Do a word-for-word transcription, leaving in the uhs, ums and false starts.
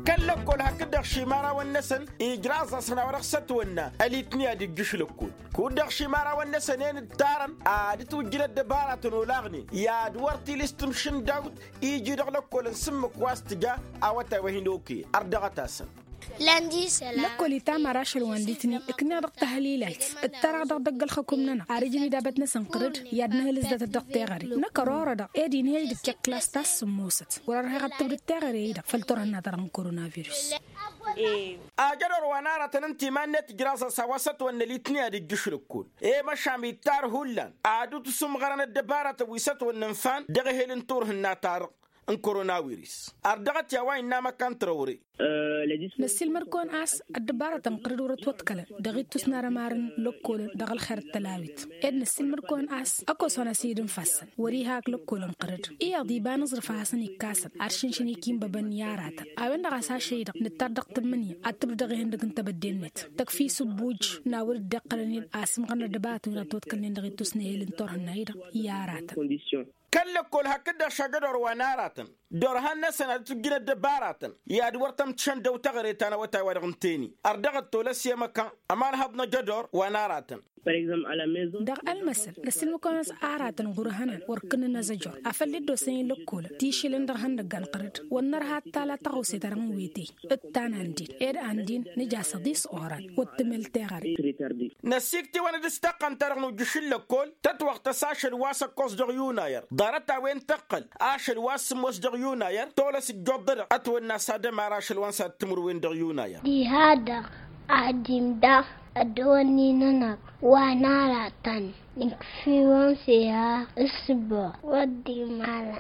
Kăl-lăkkol hakd-dăɣ šimarawăn-năsăn ijraẓ-asăn a-wa dăɣ-sătwănna ălitni ad-ijjǝš lăkkol. Kud-dăɣ šimarawăn-năsăn en ǝttarăn ad-ǝtwǝjjǝn ăddăbaratăn olaɣnen i-ad-wăr tilǝs tǝmšǝndawt iji dăɣ-lăkkolăn s-ǝmmǝk wa s-tǝja awătay wa hin-okăyăn ărdăɣăt-asăn. Lăkkol itam ar ašăl wa n-litni ǝkneɣ dăɣ-tahǝlilayt ǝttăraɣ dăɣ-dăgg-ălxăkum-nănăɣ ar ǝjǝn idabăt-năsăn ɣǝrǝd i-ad-nǝhǝlǝs datăt dăɣ-teɣăre. Năkk ărorădăɣ ed inhăyăj d-ǝkkeɣ klas ta s-sǝmmosăt wăr-ărheɣ ad-tǝbdǝd teɣăre-i-dăɣ făll-turhǝnna-ta-dăɣ n-koronavirus. Ajădor wa n-aratăn ǝnta iman-net ǝjraẓ-as a-wa s-ătwănna litni ad-ijjǝš lăkkol. I-măšan ittar hullan ad-dd-tusǝmɣărăn ăddăbaratăn wi s-ătwănna ǝnfan dăɣ-ehel n-turhǝnna-ta-dăɣ n-koronavirus. Ărdăɣăt i-a-wa innă amăkan tărăwre. Năssiilmăd-kăwăn a-s ăddăbaratăn n-qărǝd wăr-ătwăḍkălăn dăɣ-ittus n-arămar n-lăkkolăn dăɣ-ălxer d-tălawit. Ed năssiilmăd-kăwăn a-s ăkoson a-s id-ǝnfasăn wăr-iha ak lăkkolăn qărǝd iyyăḍ iba n-aẓrǝf a hasăn-ikkasăn ad-šǝnšǝn ikinbăbăn i-aratăn. A-wen-dăɣ a-s ašăl-i-dăɣ nǝttar dăɣ-tǝmmǝnǝya ad-tǝbdǝd dăɣ-ihăndăg n-tebădde-net tăkf'-i s-ǝbbuj n-a wăr-dd-iqqălăn ed asǝmɣărăn ăddăbaratăn wi dăɣ-ătwăḍkălnen dăɣ-ittus n-ehel n-turhǝnna-i-dăɣ i-aratăn. Kăl-lăkkol hakd-dăɣ šagădor wa n-aratăn dorhan-năsăn ad-ǝtwǝjjǝn ăddăbaratăn i-ad-wăr tămtǝšăn dăw-teɣăre ta n-awătay wa dăɣ-ǝntăyni ărdăɣăt tolăs i-emăkka ămanhăḍ n-ajădor wa n-aratăn. Dăɣ-ălmăsăl năssiilmăd-kăwăn a-s aratăn ɣur-ehănan wăr kǝnnăn azăjor afăl dd-osăyăn lăkkolăn ti išǝlăn dăɣ-ihăndăgga n-qărǝd wăr nărha ad-tala tăɣawse-ta-dăɣ n-wete. D-ta n-andin ed andin nǝja s-ăḍis oran wăr tǝmel teɣăre. Năsiktiwăn d-s taqqăn-ta-dăɣ n-ujjǝš n-lăkkol tătwăɣtăs ašăl wa s-ăkkoẓ dăɣ-yunayăr ḍarăt-a-wen tăqqăl ašăl wa s-sǝmmos dăɣ-yunayăr tolăs ǝjjoḍ-dăɣ ătwănna s-ad-ămar ašăl wa n-sad-timǝrwen dăɣ-yunayăr. Diha-dăɣ ad-dd-imdăɣ ăddăwănni-nănăɣ wa n-aratăn nǝkf'-iwăn s-eha ǝssǝbăɣ wăr dd-imala.